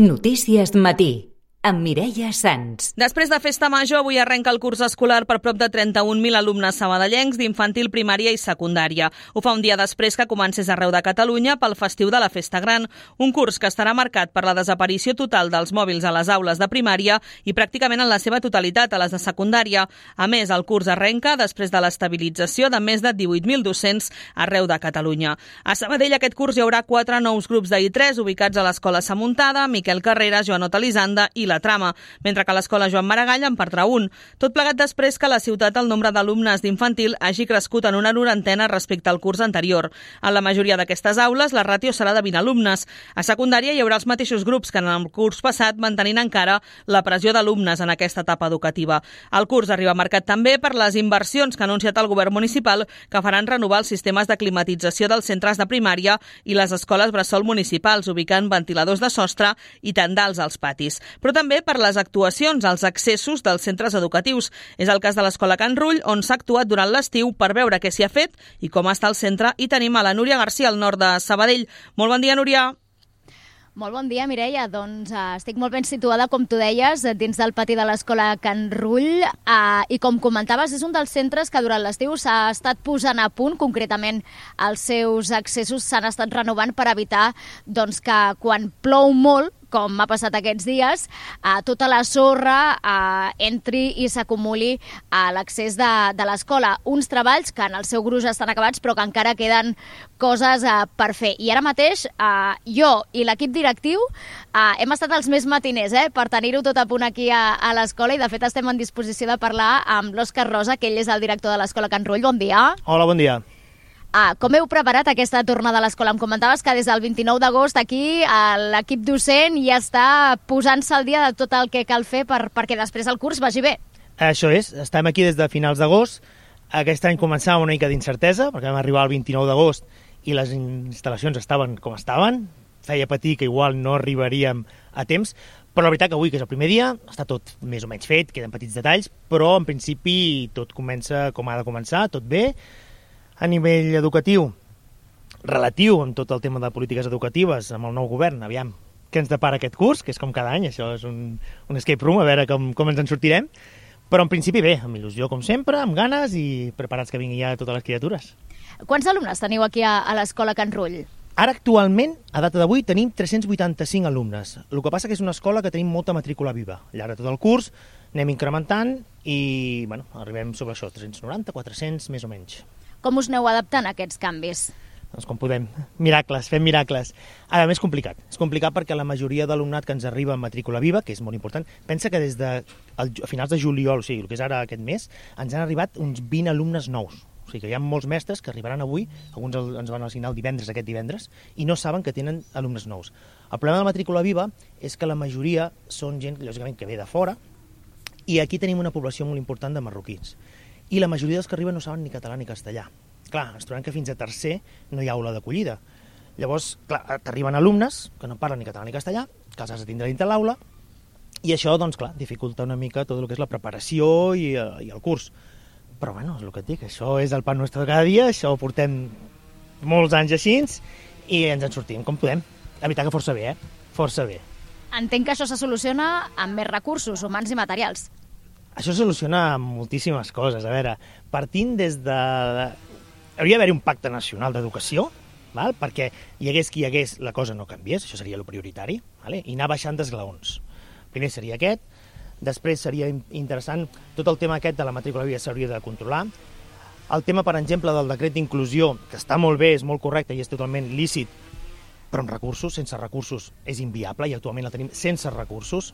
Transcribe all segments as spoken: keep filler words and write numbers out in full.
Notícies Matí, amb Mireia Sans. Després de Festa Major, avui arrenca el curs escolar per prop de trenta-un mil alumnes sabadellencs d'infantil, primària i secundària. Ho fa un dia després que comencés arreu de Catalunya pel festiu de la Festa Gran, un curs que estarà marcat per la desaparició total dels mòbils a les aules de primària i pràcticament en la seva totalitat a les de secundària. A més, el curs arrenca després de l'estabilització de més de divuit mil docents arreu de Catalunya. A Sabadell aquest curs hi haurà quatre nous grups de I tres ubicats a l'Escola Samuntada, Miquel Carrera, Joanot Elisanda i la Trama, mentre que l'Escola Joan Maragall en perdrà un. Tot plegat després que a la ciutat el nombre d'alumnes d'infantil hagi crescut en una norantena respecte al curs anterior. En la majoria d'aquestes aules, la ràtio serà de vint alumnes. A secundària hi haurà els mateixos grups que en el curs passat, mantenint encara la pressió d'alumnes en aquesta etapa educativa. El curs arriba marcat també per les inversions que ha anunciat el govern municipal que faran renovar els sistemes de climatització dels centres de primària i les escoles bressol municipals, ubicant ventiladors de sostre i tendals als patis. Però també per les actuacions als accessos dels centres educatius. És el cas de l'Escola Can Rull, on s'ha actuat durant l'estiu per veure què s'hi ha fet i com està el centre. I tenim a la Núria Garcia, al nord de Sabadell. Molt bon dia, Núria. Molt bon dia, Mireia. Doncs uh, estic molt ben situada, com tu deies, dins del pati de l'Escola Can Rull. Uh, I com comentaves, és un dels centres que durant l'estiu s'ha estat posant a punt. Concretament, els seus accessos s'han estat renovant per evitar doncs, que quan plou molt, com ha passat aquests dies, eh, tota la sorra eh, entri i s'acumuli a l'accés de, de l'escola. Uns treballs que en el seu gruix estan acabats, però que encara queden coses eh, per fer. I ara mateix, eh, jo i l'equip directiu eh, hem estat els més matiners eh, per tenir-ho tot a punt aquí a, a l'escola, i de fet estem en disposició de parlar amb l'Òscar Rosa, que ell és el director de l'Escola Can Rull. Bon dia. Hola, bon dia. Ah, com heu preparat aquesta tornada a l'escola? Em comentaves que des del vint-i-nou d'agost aquí l'equip docent ja està posant-se al dia de tot el que cal fer per, perquè després el curs vagi bé. Això és, estem aquí des de finals d'agost. Aquest any començava una mica d'incertesa, perquè vam arribar el vint-i-nou d'agost i les instal·lacions estaven com estaven. Feia patir que igual no arribaríem a temps, però la veritat que avui, que és el primer dia, està tot més o menys fet, queden petits detalls, però en principi tot comença com ha de començar, tot bé. A nivell educatiu, relatiu amb tot el tema de polítiques educatives, amb el nou govern, aviam què ens depara aquest curs, que és com cada any, això és un, un escape room, a veure com, com ens en sortirem, però en principi bé, amb il·lusió com sempre, amb ganes i preparats que vinguin ja totes les criatures. Quants alumnes teniu aquí a, a l'Escola Can Rull? Ara actualment, a data d'avui, tenim tres-cents vuitanta-cinc alumnes. El que passa que és una escola que tenim molta matrícula viva. Al llarg de tot el curs anem incrementant i bueno, arribem sobre això, tres-cents noranta, quatre-cents, més o menys. Com us aneu adaptant a aquests canvis? Doncs com podem. Miracles, fem miracles. A més, és complicat. És complicat perquè la majoria d'alumnat que ens arriba en matrícula viva, que és molt important, pensa que des de el, a finals de juliol, o sigui, el que és ara aquest mes, ens han arribat uns vint alumnes nous. O sigui que hi ha molts mestres que arribaran avui, alguns ens van assignar el divendres, aquest divendres, i no saben que tenen alumnes nous. El problema de la matrícula viva és que la majoria són gent, lògicament, que ve de fora, i aquí tenim una població molt important de marroquins. I la majoria dels que arriben no saben ni català ni castellà. Clar, ens trobem que fins a tercer no hi ha aula d'acollida. Llavors, clar, t'arriben alumnes que no parlen ni català ni castellà, que els has de tindre dintre l'aula, i això, doncs, clar, dificulta una mica tot el que és la preparació i, i el curs. Però, bueno, és el que et dic, això és el pa nostre de cada dia, això ho portem molts anys així, i ens en sortim com podem. La veritat que força bé, eh? Força bé. Entenc que això se soluciona amb més recursos, humans i materials. Això soluciona moltíssimes coses. A veure, partint des de... Hauria d'haver un pacte nacional d'educació, val? Perquè hi hagués qui hi hagués, la cosa no canviés, això seria el prioritari, vale? I anar baixant d'esglaons. Primer seria aquest, després seria interessant, tot el tema aquest de la matrícula viva s'hauria de controlar. El tema, per exemple, del decret d'inclusió, que està molt bé, és molt correcte i és totalment lícit, però amb recursos, sense recursos és inviable, i actualment la tenim sense recursos.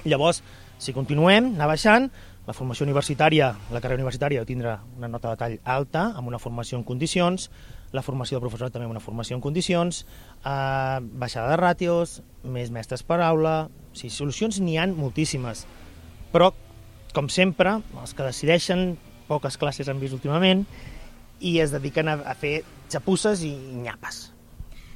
Llavors, si continuem, anar baixant, la formació universitària, la carrera universitària ha de tindre una nota de tall alta, amb una formació en condicions, la formació del professorat també amb una formació en condicions, eh, baixada de ràtios, més mestres per aula... O sigui, solucions n'hi ha moltíssimes, però, com sempre, els que decideixen, poques classes han vist últimament, i es dediquen a, a fer xapusses i nyapes.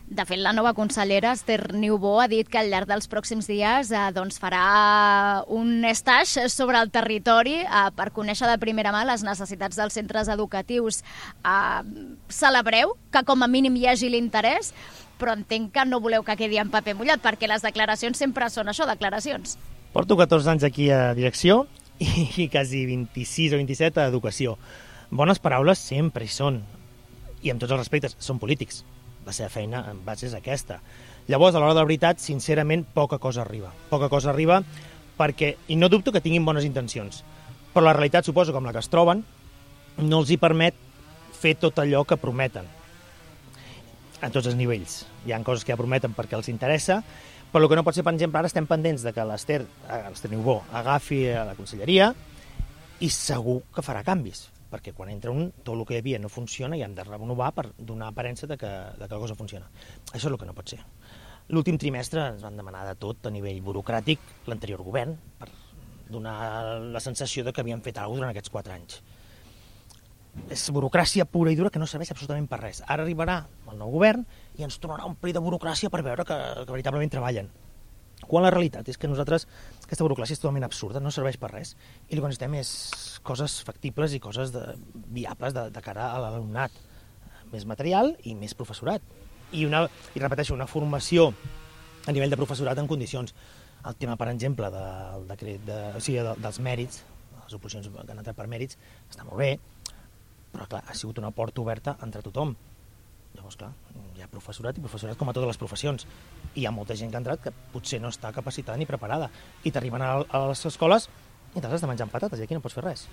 De fet, la nova consellera, Esther Niubó, ha dit que al llarg dels pròxims dies eh, doncs farà un stage sobre el territori eh, per conèixer de primera mà les necessitats dels centres educatius. Eh, celebreu que com a mínim hi hagi l'interès, però entenc que no voleu que quedi en paper mullat, perquè les declaracions sempre són això, declaracions. Porto catorze anys aquí a direcció i quasi vint-i-sis o vint-i-set a educació. Bones paraules sempre hi són, i amb tots els respectes, són polítics. La seva feina en base és aquesta. Llavors, a l'hora de la veritat, sincerament, poca cosa arriba. Poca cosa arriba perquè, i no dubto que tinguin bones intencions, però la realitat, suposo, com la que es troben, no els hi permet fer tot allò que prometen. A tots els nivells. Hi ha coses que ja prometen perquè els interessa, però el que no pot ser, per exemple, ara estem pendents de que l'Ester, l'Ester Niubó, agafi a la conselleria i segur que farà canvis, perquè quan entra un, tot el que hi havia no funciona i hem de renovar per donar aparença de que, de que la cosa funciona. Això és el que no pot ser. L'últim trimestre ens van demanar de tot a nivell burocràtic l'anterior govern per donar la sensació de que havien fet alguna cosa durant aquests quatre anys. És burocràcia pura i dura que no serveix absolutament per res. Ara arribarà el nou govern i ens tornarà un pli de burocràcia per veure que, que veritablement treballen. Quan la realitat és que nosaltres, aquesta burocràcia és totalment absurda, no serveix per res, i el que necessitem és coses factibles i coses de, viables de, de cara a l'alumnat. Més material i més professorat. I, una, i repeteixo, una formació a nivell de professorat en condicions. El tema, per exemple, del decret de, o sigui, de, dels mèrits, les oposicions que han entrat per mèrits, està molt bé, però clar, ha sigut una porta oberta entre tothom. Llavors, clar, hi ha professorat i professorat com a totes les professions. I hi ha molta gent que ha entrat que potser no està capacitada ni preparada. I t'arriben a, a les escoles i t'has de menjar patates i aquí no pots fer res.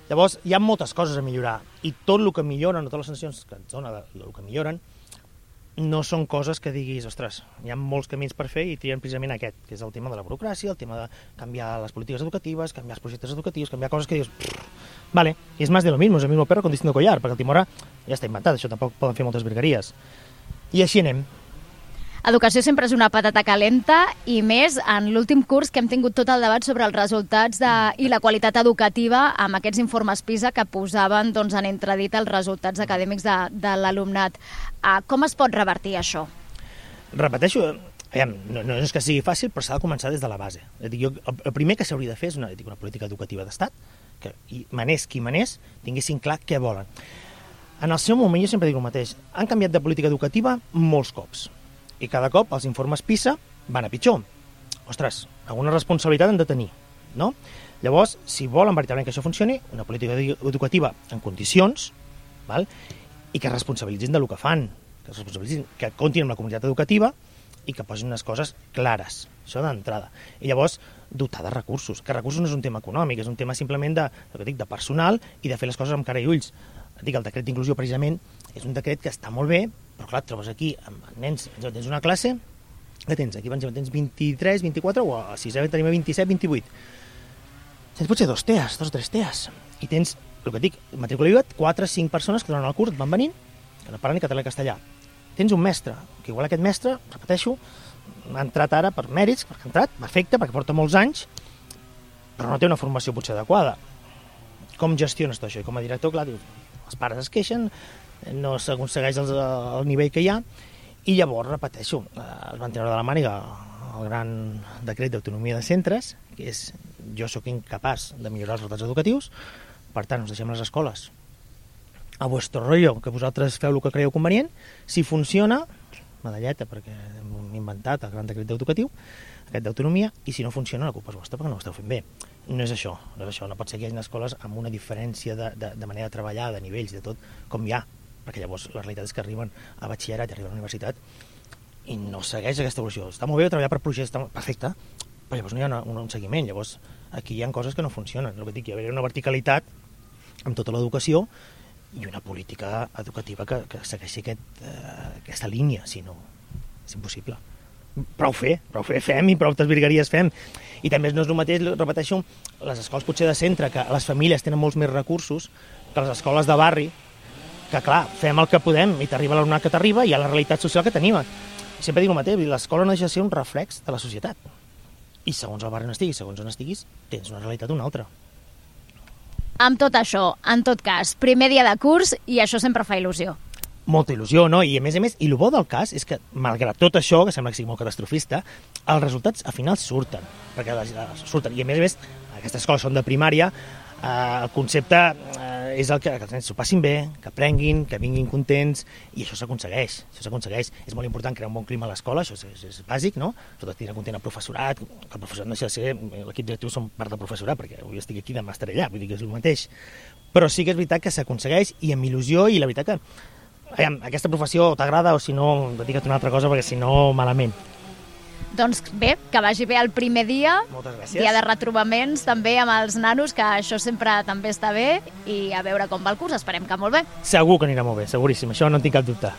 Llavors, hi ha moltes coses a millorar. I tot el que milloren, totes les sancions que ens dona el que milloren, no són coses que diguis, ostres, hi ha molts camins per fer i trien precisament aquest, que és el tema de la burocràcia, el tema de canviar les polítiques educatives, canviar els projectes educatius, canviar coses que dius, vale, y es más de lo mismo, es el mismo perro con distinto collar, perquè el Timora ja està inventat, això tampoc poden fer moltes virgueries. I així anem. Educació sempre és una patata calenta i més en l'últim curs que hem tingut tot el debat sobre els resultats de, i la qualitat educativa amb aquests informes PISA que posaven doncs, en entredit els resultats acadèmics de, de l'alumnat. Uh, com es pot revertir això? Repeteixo, aviam, no, no és que sigui fàcil, però s'ha de començar des de la base. És dir, jo, el primer que s'hauria de fer és una, dic, una política educativa d'estat, que i manés qui manés tinguessin clar què volen. En el seu moment, jo sempre dic el mateix, han canviat de política educativa molts cops. I cada cop els informes PISA van a pitjor. Ostres, alguna responsabilitat han de tenir, no? Llavors, si volen veritablement que això funcioni, una política educativa en condicions, val? I que es responsabilitzin del que fan, que es responsabilitzin, que comptin amb la comunitat educativa i que posin unes coses clares, això d'entrada. I llavors, dotar de recursos, que recursos no és un tema econòmic, és un tema simplement de, el que dic, de personal i de fer les coses amb cara i ulls. Dic, el decret d'inclusió, precisament, és un decret que està molt bé, però clar, et trobes aquí amb nens, tens una classe, que tens aquí, tens vint-i-tres, vint-i-quatre, o a sisè tenim vint-i-set, vint-i-vuit. Tens potser dos T E As, dos o tres T E As, i tens, el que dic, matrícula obligat, quatre o cinc persones que durant el curs et van venint, que no parlen ni català ni castellà. Tens un mestre, que igual aquest mestre, repeteixo, ha entrat ara per mèrits, perquè ha entrat, perfecte, perquè porta molts anys, però no té una formació potser adequada. Com gestiones tot això? I com a director, clar, dius, els pares es queixen, no s'aconsegueix el, el nivell que hi ha, i llavors, repeteixo, es van treure de la màniga el gran decret d'autonomia de centres, que és, jo sóc incapaç de millorar els resultats educatius, per tant, us deixem les escoles a vuestro rollo, que vosaltres feu el que creieu convenient, si funciona, medalleta, perquè hem inventat el gran decret educatiu, aquest d'autonomia, i si no funciona, la culpa és vostra, perquè no ho esteu fent bé. No és això, no és això, no pot ser que hi hagi escoles amb una diferència de, de, de manera de treballar, de nivells, de tot, com hi ha, perquè llavors la realitat és que arriben a batxillerat i arriben a la universitat i no segueix aquesta evolució. Està molt bé treballar per projectes, està perfecte, però llavors no hi ha una, un, un seguiment, llavors aquí hi ha coses que no funcionen. El que dic, hi ha una verticalitat amb tota l'educació i una política educativa que, que segueixi aquest, eh, aquesta línia, si no, és impossible. Prou fer, prou fer, fem i prou virgueries fem. I també no és el mateix, repeteixo, les escoles potser de centre, que les famílies tenen molts més recursos que les escoles de barri, que clar, fem el que podem i t'arriba l'alumnat que t'arriba i hi ha la realitat social que tenim. Sempre dic el mateix, l'escola no deixa de ser un reflex de la societat. I segons el barri on estiguis, segons on estiguis, tens una realitat o una altra. Amb tot això, en tot cas, primer dia de curs i això sempre fa il·lusió. Molta il·lusió, no? I a més a més, i el bo del cas és que, malgrat tot això, que sembla que sigui molt catastrofista, els resultats al final surten, perquè surten. I a més a més, aquestes escoles són de primària, eh, el concepte eh, és el que, que els nens s'ho passin bé, que aprenguin, que vinguin contents, i això s'aconsegueix, això s'aconsegueix. És molt important crear un bon clima a l'escola, això és, és, és bàsic, no? Sobretot tenir content el professorat, que el professorat no deixa de ser, l'equip directiu som part del professorat, perquè avui estic aquí, demà estaré allà, vull dir que és el mateix. Però sí que és veritat que s'aconsegueix, i amb il·lusió, i la veritat que aviam, aquesta professió t'agrada, o si no, dedica't a una altra cosa, perquè si no, malament. Doncs bé, que vagi bé el primer dia. Moltes gràcies. Dia de retrobaments també amb els nanos, que això sempre també està bé, i a veure com va el curs, esperem que molt bé. Segur que anirà molt bé, seguríssim, això no en tinc cap dubte.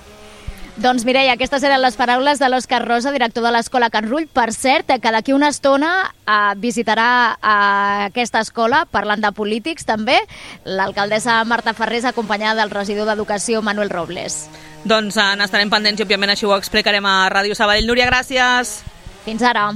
Doncs Mireia, aquestes eren les paraules de l'Òscar Rosa, director de l'Escola Can Rull. Per cert, que d'aquí una estona eh, visitarà eh, aquesta escola, parlant de polítics també, l'alcaldessa Marta Ferrés, acompanyada del regidor d'Educació Manuel Robles. Doncs eh, n'estarem pendents i òbviament així ho explicarem a Ràdio Sabadell. Núria, gràcies. Fins ara.